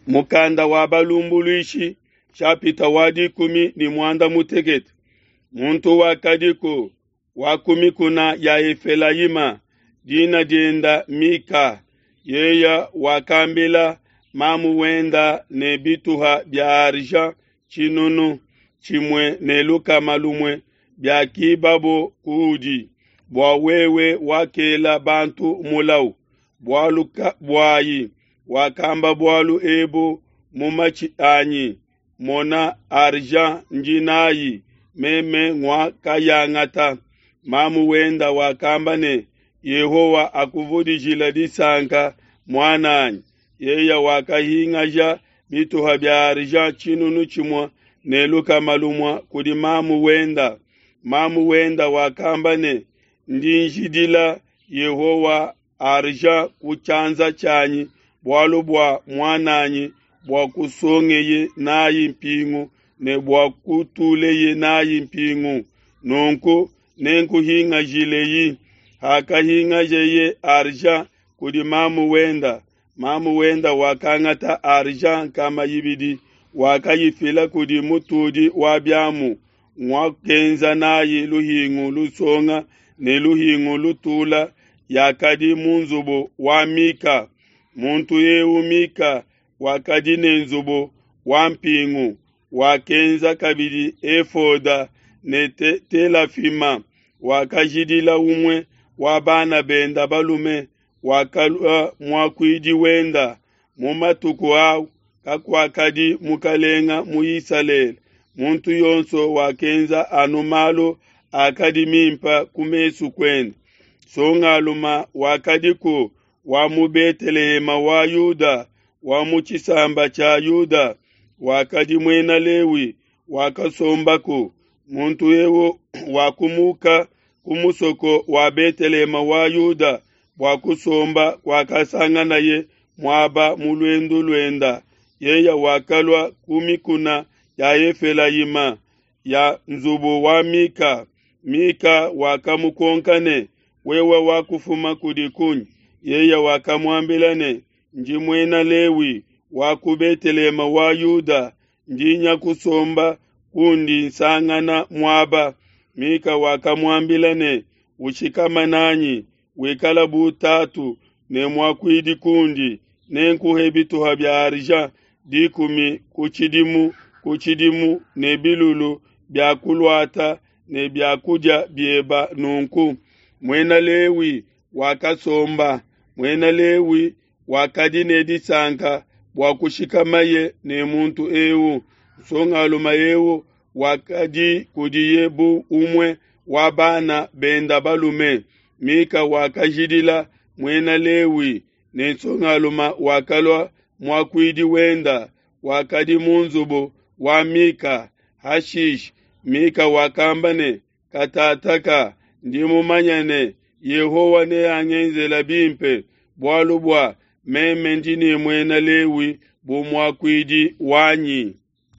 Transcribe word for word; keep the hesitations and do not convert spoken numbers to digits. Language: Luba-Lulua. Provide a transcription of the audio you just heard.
Mukanda wa balumbuluishi shapita wa dikumi ne muanda mutekete. Muntu wakadiku wa ku mikuna ya Efelayima, dina dienda Mika. Yeya wakambila mamu wenda ne bituha bia argent tshinunu tshimue ne lukama lumue biakibabo kuudi, bua wewe wakela bantu mulawu. Bualu buayi wakamba bualu ebu mu matshi anyi, mona argent ndi nayi, meme nguakayangata. Mamu wenda wakamba ne, Yehowa akuvudijila disanka muananyi. Yeya wakahingaja bituha bia argent tshinunu tshimue ne lukama lumue kudi mamu wenda. Mamu wenda wakamba ne, ndi njidila Yehowa argent ku tshianza tshianyi bualu bua muananyi bua kusongeye nayi mpingu ne bua kutuleye nayi mpingu. Nunku nenkuhingajileyi. Hakahingajeye argent kudi mamu wenda, mamu wenda wakangata argent nkama ibidi, wakayifila kudi mutudi wa biamu, nguakenza nayi luhingu lusonga ne luhingu lutula yakadi mu nzubu wa Mika. Muntu eu Mika wakadi ne nzubu wa mpingu, wakenza kabidi efoda ne te telafima, wakajidila umue wa bana benda balume, wakalua muakuidi wenda. Mu matuku au kakuakadi mukalenga mu Isalele. Muntu yonso wakenza anu malu akadi mimpa ku mesu kuende. Songaluma wakadiku wa mu Betelehema wa Yuda, wa mu tshisamba tshia Yuda, wakadi muena Lewi, wakasombaku. Muntu eu wakumuka ku musoko wa Betelehema wa Yuda bua kusomba kwakasanganaye muaba mu luendu luenda. Yeya wakalua ku mikuna ya Efelayima ya nzubu wa Mika. Mika wakamukonka ne, wewe wakufuma kudi kunyi? Yeya wakamuambila ne, ndi muena Lewi wa ku Betelehema wa Yuda, ndi nya kusomba kundi nsangana muaba. Mika wakamuambila ne, ushikama nanyi, wikala bu tatu ne muakuidi kundi, nenkuhe bituha bia argent dikumi ku tshidimu ku tshidimu ne bilulu bia kuluata ne bia kudia bieba. Nunku muena Lewi wakasomba. Muena Lewi wakadi ne disanka bua kushikamaye ne muntu eu. Nsongalume eu wakadi kudiye bu umue wa bana benda balume. Mika wakajidila muena Lewi, ne nsongalume wakalua muakuidi wenda, wakadi mu nzubu wa Mika. Hashishe Mika wakamba ne, katataka ndi mumanya ne Yehowa neangenzela bimpe, bualu bua meme ndi ne muena Lewi bu muakuidi wanyi.